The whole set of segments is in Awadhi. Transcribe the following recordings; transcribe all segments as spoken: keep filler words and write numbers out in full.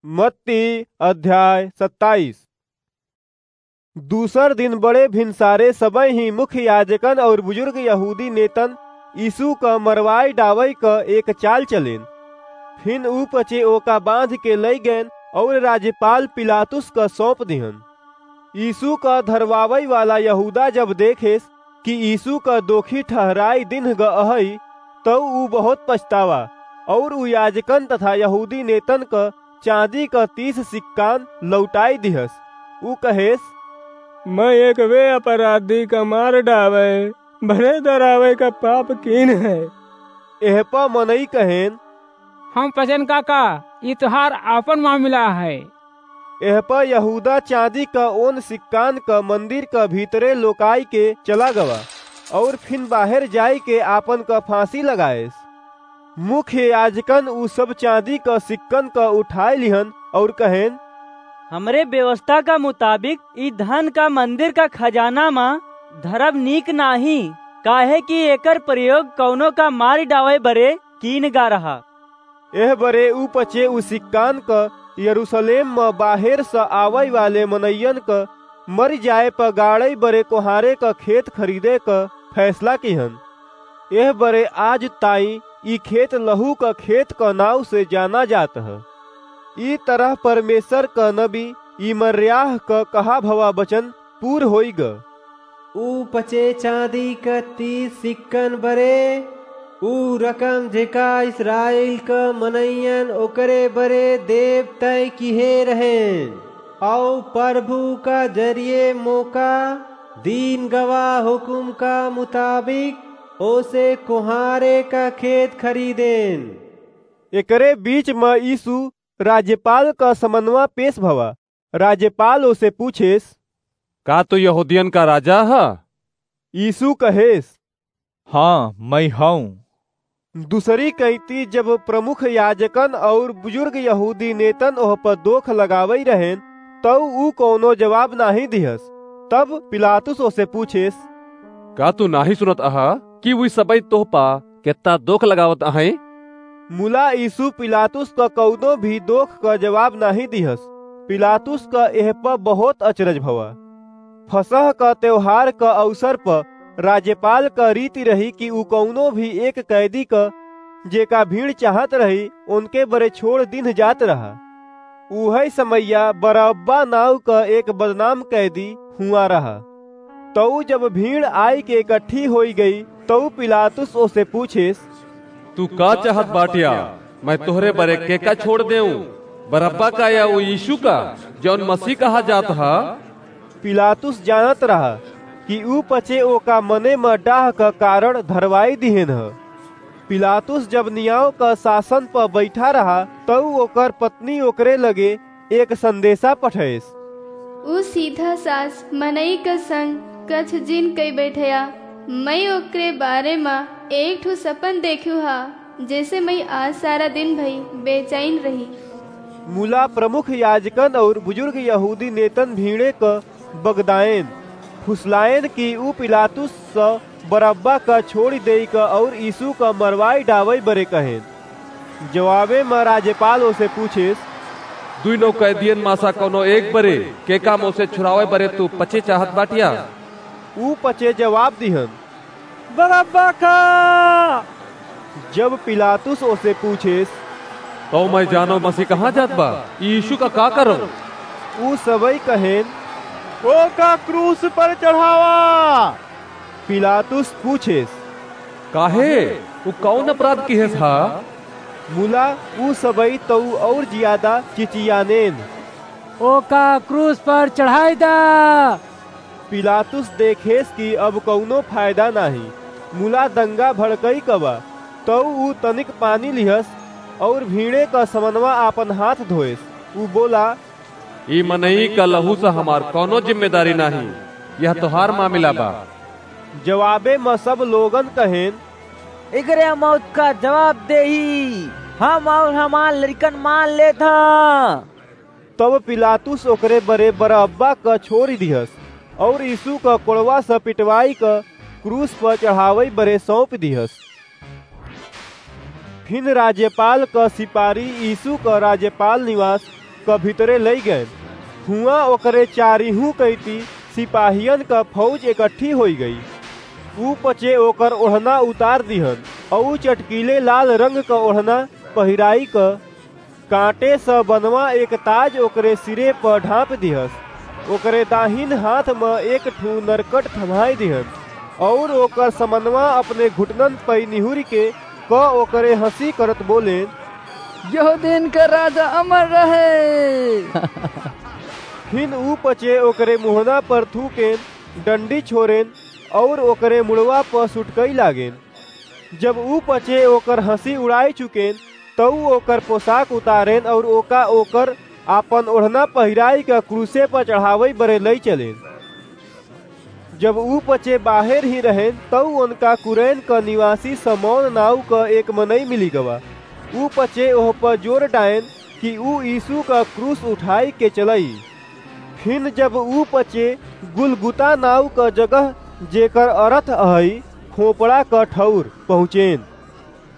मत्ती अध्याय सत्ताईस। दूसर दिन बड़े भिनसारे सबहिं मुख्य याजकन अउर बुजुर्ग यहूदी नेतन यीशु क मरवाइ डावइ क एक चाल चलेन। फिन ऊ पचे ओका बाँध के लइ गएन अउर राज्यपाल पिलातुस क सौंप दिहन। यीशु क धरवावइ वाला यहूदा जब देखेस कि यीशु क दोखी ठहराइ दिन्ह ग अहइ, तउ ऊ बहुत पछतावा, अउर ऊ याजकन तथा यहूदी नेतन क चाँदी क तीस सिक्कान लौटाइ दिहस। ऊ कहेस, "मैं एक वे अपराधी क मार डावइ, भरे दरावइ क पाप कीन्ह है।" एह प मनई कहेन, "हम पचेन काका, ई तोहार आपन मामिला है।" एह प यहूदा चाँदी क ओन सिक्कान क मंदिर क भीतरे लोकाइ के चला गवा, अउर फिन बाहेर जाइ के आपन क फाँसी लगाएस। मुख्य याजकन ऊ सब चाँदी क सिक्कन क उठाइ लिहन अउर कहेन, "हमरे व्यवस्था क मुताबिक ई धन क मंदिर क खजाना म धरब नीक नाहीं, काहे कि एकर प्रयोग कउनो क मारि डावइ बरे कीन गा रहा।" एह बरे ऊ पचे ऊ सिक्कान क यरूसलेम म बाहेर स आवइ वाले मनइयन क मरि जाए प गाड़इ बरे कोहारे क खेत खरीदे क फैसला किहन। एह बरे आज ताईं ई खेत लहू क खेत क नाव से जाना जात ह। ई तरह परमेसर क नबी यिर्मयाह क कहा भवा बचन पूर होइ ग। ऊ पचे चाँदी क तीस सिक्कन बरे, ऊ रकम जेका इस्राएल क मनइयन ओकरे बरे देब तय किहे रहेन, अउ परभू क जरिये मोका दीन गवा हुकुम क मुताबिक ओसे कोहारे क खेत खरीदेन। एकरे बीच म यीशु राज्यपाल क समनवा पेस भवा। राज्यपाल ओसे पूछेस, "का तू यहूदियन क राजा ह?" यीशु कहेस, "हाँ, मैं हऊँ।" दूसरी कइँती जब प्रमुख याजकन अउर बुजुर्ग यहूदी नेतन ओह प दोख लगावइ रहेन, तउ ऊ कउनो जवाब नाहीं दिहस। तब पिलातुस ओसे पूछेस, "का तू नाहीं सुनत अहा कि उइ सबइ तोह प केत्ता दोख लगावत अहइँ?" मुला यीशु पिलातुस क कउनो भी दोख क जवाब नाहीं दिहस। पिलातुस क एह प बहुत अचरज भवा। फसह क तेवहार क अवसर प राज्यपाल क रीति रही कि ऊ कउनो भी एक कैदी क, जेका भीड़ चाहत रही, ओनके बरे छोड़ दिन्ह जात रहा। उहइ समइया बरअब्बा नाउँ क एक बदनाम कैदी हुआँ रहा। तउ जब भीड़ आइके एकट्ठी होइ गई, तउ पिलातुस ओसे पूछेस, "तू का चाहत बाटिया? मैं तोहरे बरे केका छोड़ देऊँ, बरअब्बा का या उ यीशु का, जउन मसीह कहा जात ह?" पिलातुस जानत रहा कि ऊ पचे ओका मने म डाह क कारण धरवाइ दिहेन ह। पिलातुस जब नियाव क सासन प बइठा रहा, तउ ओकर पत्नी ओकरे लगे एक संदेसा पठइस। ऊ सीधा सास मनई क संग कछ जिन कइ बइठया। मई ओकरे बारे म एक ठो सपन देख्यू हा, जेसे मई आज सारा दिन भई बेचैन रही। मुला प्रमुख याजकन अउर बुजुर्ग यहूदी नेतन भीड़े क बगदायेन, फुसलायेन कि ऊ पिलातुस स बरअब्बा क छोड़ि देइ क अउर यीशु क मरवाइ डावइ बरे कहेन। जवाबे म राज्यपाल ओसे पूछेस, "दुइनो कैदियन मा सा कउनो एक बरे, केका मोसे छुड़ावइ बरे तू पचे चाहत बाटिया?" ऊ पचे जवाब दिहन, "बरअब्बा का।" जब पिलातुस ओसे पूछेस, "तउ मय जानो मसीह कहाँ जात बा? यीशु का का करउँ?" ऊ सबई कहेन, "ओका क्रूस पर चढ़ावा।" पिलातुस पूछेस, "काहे? उ कउन अपराध किहेस हा?" मुला ऊ सबई तउ अउर जियादा चिचियानेन, "ओका क्रूस पर चढ़ाइ दा।" पिलातुस देखेस कि अब कउनो फायदा नाहीं, मुला दंगा भड़कइ क बा। तउ ऊ तनिक पानी लिहस अउर भीड़े क समनवा आपन हाथ धोएस। ऊ बोला, "ई मनई क लहू स हमार कउनो जिम्मेदारी नाहीं, यह तोहार मामिला बा।" जवाबे म सब लोगन कहेन, "एकरे मौत क जवाब देही, हम अउर हमार लरिकन मान लेत ह।" तब पिलातुस ओकरे बरे बरअब्बा क छोड़ि दिहस अउर यीशु क कोड़वा स पिटवाइ क क्रूस प चढ़ावइ बरे सौंपि दिहस। फिन राज्यपाल क सिपारी यीशु क राज्यपाल निवास क भीतरे लइ गएन। हुआँ ओकरे चारिहूँ कइती सिपाहियन क फौज एकट्ठी होइ गई। ऊ पचे ओकर ओढ़ना उतार दिहन, अऊ चटकीले लाल रंग क ओढ़ना पहिराइ क काँटे स बनवा एक ताज ओकरे सिरे प ढाँप दिहस। ओकरे दाहिन हाथ म एक ठू नरकट थमाइ दिहन, अउर ओकर समनवा अपने घुटनन पइ निहुरि के क ओकरे हँसी करत बोलेन, "यहूदियन क राजा अमर रहे।" फिन ऊ पचे ओकरे मुँहना पर थूकेन, डंडी छोरेन, अउर ओकरे मुड़वा प सुटकइ लागेन। जब ऊ पचे ओकर हँसी उड़ाइ चुकेन, तउ ओकर पोसाक उतारेन अउर ओका ओकर आपन ओढ़ना पहिराइ क क्रूसे प चढ़ावइ बरे लइ चलेन। जब ऊ पचे बाहेर ही रहेन, तउ ओनका कुरैन क निवासी समौन नाउँ क एक मनई मिलि गवा। ऊ पचे ओह प जोर डाएन कि ऊ यीसू क क्रूस उठाइ के चलइ। फिन जब ऊ पचे गुलगुता नाउँ क जगह, जेकर अरथ अहइ खोपड़ा क ठउर, पहुँचेन,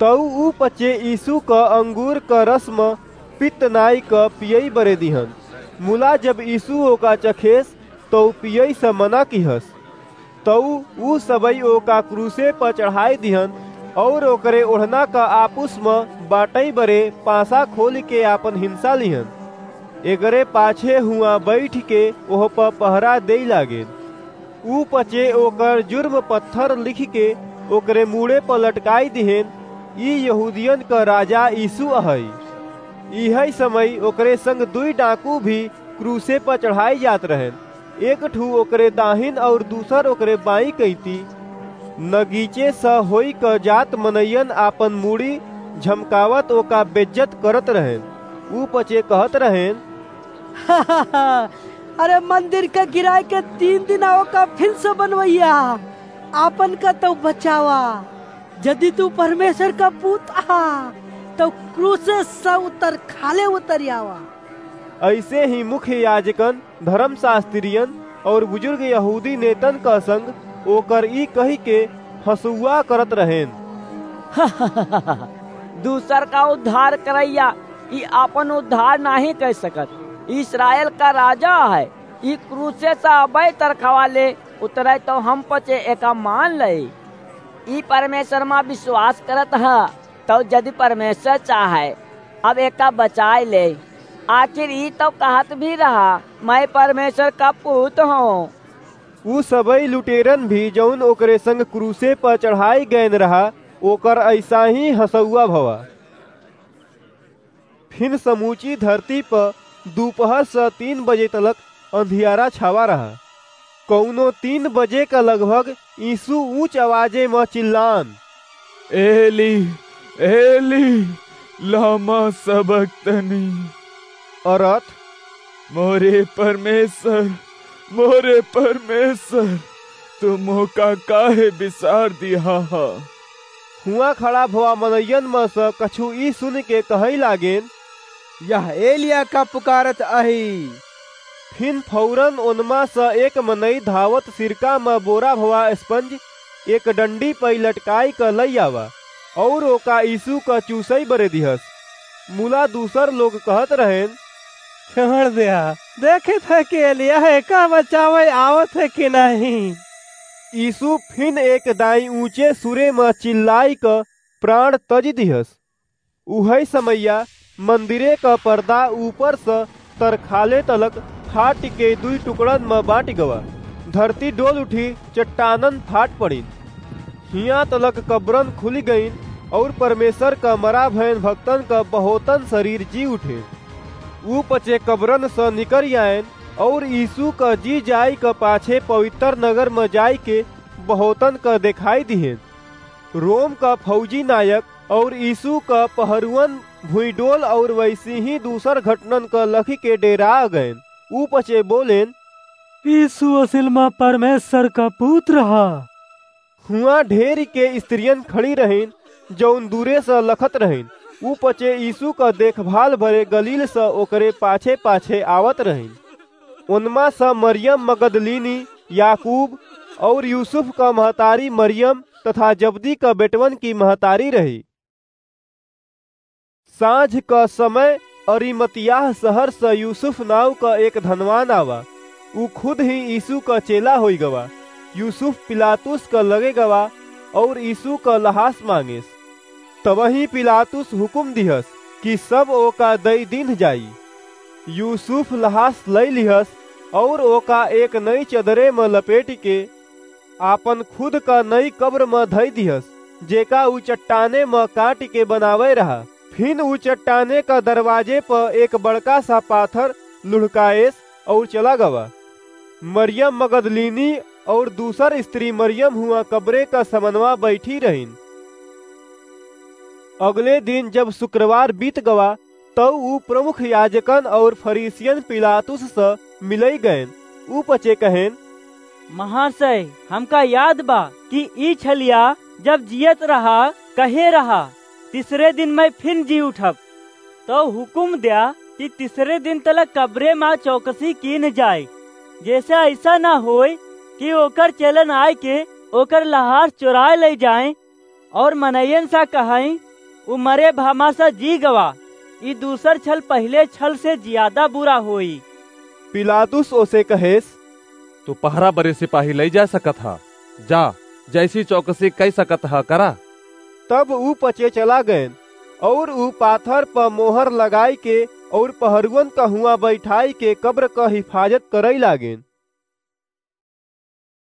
तउ ऊ पचे यीसू क अंगूर क रस म पित्त नाइ क पियइ बरे दिहन। मुला जब यीसू ओका चखेस, तउ पियइ स मना किहस। तउ ऊ सबइ ओका क्रूसे प चढ़ाइ दिहन, अउर ओकरे ओढ़ना क आपुस म बाँटइ बरे पासा खोलि के आपन हिंसा लिहन। एकरे पाछे हुआँ बइठि के ओह प पहरा देइ लागेन। ऊ पचे ओकर जुर्म पत्थर लिखि के ओकरे मूड़े प लटकाइ दिहेन, "ई यहूदियन क राजा यीसू अहइ।" इहइ समय ओकरे संग दुइ डाकू भी क्रूसे प चढ़ाइ जात रहेन, एक ठू ओकरे दाहिन अउर दूसर ओकरे बाईं कइती। नगीचे स होइ क जात मनइयन आपन मूड़ी झमकावत ओका बेज्जत करत रहेन। ऊ पचे कहत रहेन, "अरे मंदिर क गिराइ के तीन दिन ओका फिन स बनवइया, आपन क तउ बचावा। जदि तू परमेश्वर क पूत अहा, तउ क्रूसे स उतर खाले उतरि आवा।" अइसे ही मुख्य याजकन, धरम शास्त्रियन अउर बुजुर्ग यहूदी नेतन क संग ओकर ई कहि के हँसुआ करत रहेन, "दूसर क उद्धार करइया, ई आपन उद्धार नाहीं कइ सकत। इस्राएल क राजा अहइ, ई क्रूसे स अबइ तर खाले उतरइ तउ हम पचे एका मान लइ। ई परमेश्वर म बिसवास करत ह, तउ जदि परमेश्वर चाहइ, अब एका बचाइ लेइ। आखिर ई तउ कहत भी रहा, 'मइँ परमेश्वर क पूत हौं।'" ऊ सबइ लुटेरन भी, जउन ओकरे संग क्रूसे प चढ़ाइ गएन रहा, ओकर अइसा ही हँसुआ भवा। फिन समूची धरती प दुपहर स तीन बजे तलक अंधियारा छावा रहा। कउनो तीन बजे क लगभग यीसू ऊँच अवाजे म चिल्लान, "एली, एली, लामा सबक्तनी?" अरथ, "मोरे परमेश्वर, मोरे परमेश्वर, तू मोका काहे बिसार दिहा ह?" हुआँ खड़ा भवा मनइयन म स कछु ई सुनि के कहइ लागेन, "यह एलिया का पुकारत अही।" फिन फौरन ओनमा स एक मनई धावत सिरका म बोरा भवा स्पंज एक डंडी पइ लटकाइ क लइ आवा, अउर ओका यीसू क चूसइ बरे दिहस। मुला दूसर लोग कहत रहेन, "छोड़ द्या, देखित ह कि एलिया एका बचावइ आवत ह कि नाहीं।" यीसू फिन एक दाईं ऊँचे सुरे म चिल्लाइ क प्राण तजि दिहस। उहइ समइया मंदिरे क परदा ऊपर स तर खाले तलक फाटि के दुइ टुकड़न म बाँटि गवा। धरती डोल उठी, चट्टानन फाट पड़िन। हियाँ तलक कब्रन खुलि गइन, अउर परमेश्वर क मरा भएन भक्तन क बहुतन सरीर जी उठेन। ऊ पचे कब्रन स निकरि आएन, अउर यीसू क जी जाइ क पाछे पवित्र नगर म जाइके बहुतन क देखाइ दिहेन। रोम क फौजी नायक अउर यीसू क पहरुअन भुइँडोल अउर वइसहीं दूसर घटनन क लखिके डेरा गएन। ऊ पचे बोलेन, "यीसू असिल म परमेश्वर क पूत ह।" हुआँ ढेरिके स्त्रियन खड़ी रहिन, जउन दूरे स लखत रहिन। ऊ पचे यीसू क देखभाल बरे गलील स ओकरे पाछे-पाछे आवत रहिन। ओनमा स मरियम मगदलीनी, याकूब अउर यूसुफ क महतारी मरियम तथा जब्दी क बेटवन की महतारी रही। साँझ क समय अरिमतियाह सहर स यूसुफ नाव क एक धनवान आवा, ऊ खुद ही यीसू क चेला होइ गवा। यूसुफ पिलातुस क लगे गवा अउर यीसू क लहास माँगेस। तबहीं पिलातुस हुकुम दिहस कि सब ओका दइ दीन्ह जाई। यूसुफ लहास लइ लिहस अउर ओका एक नई चदरे म लपेटिके आपन खुद क नई कब्र म धइ दिहस, जेका ऊ चट्टाने म काटिके बनावइ रहा। फिन ऊ चट्टाने क दरवाजे प एक बड़का सा पाथर लुढ़काएस अउर चला गवा। मरियम मगदलीनी अउर दूसर स्त्री मरियम हुआँ कब्रे क समनवा बइठी रहिन। अगले दिन जब सुक्रवार बीत गवा, तउ ऊ प्रमुख याजकन अउर फरीसियन पिलातुस स मिलइ गएन। ऊ पचे कहेन, महाशय, हमका याद बा कि ई छलिया जब जियत रहा, कहे रहा, "तीसरे दिन मैं फिन जी उठब।" तउ हुकुम द्या कि तीसरे दिन तलक कब्रे मा चौकसी कीन जाए, जैसे अइसा न होय कि ओकर चेलन आइके ओकर लहास चोराए लइ जाएँ अउर मनइयन सा कहइँ, "ऊ मरे भामा सा जी गवा, ई दूसर छल पहिले छल से जियादा बुरा होई।" पिलातुस ओसे कहेस, "तू पहरा बरे सिपाही लइ जा सकत ह, जा, जइसी चौकसी कइ सकत ह, करा।" तब ऊ पचे चला गएन अउर ऊ पाथर प मोहर लगाइके अउर पहरुअन क हुआँ बइठाइके कब्र क हिफाजत करइ लागेन।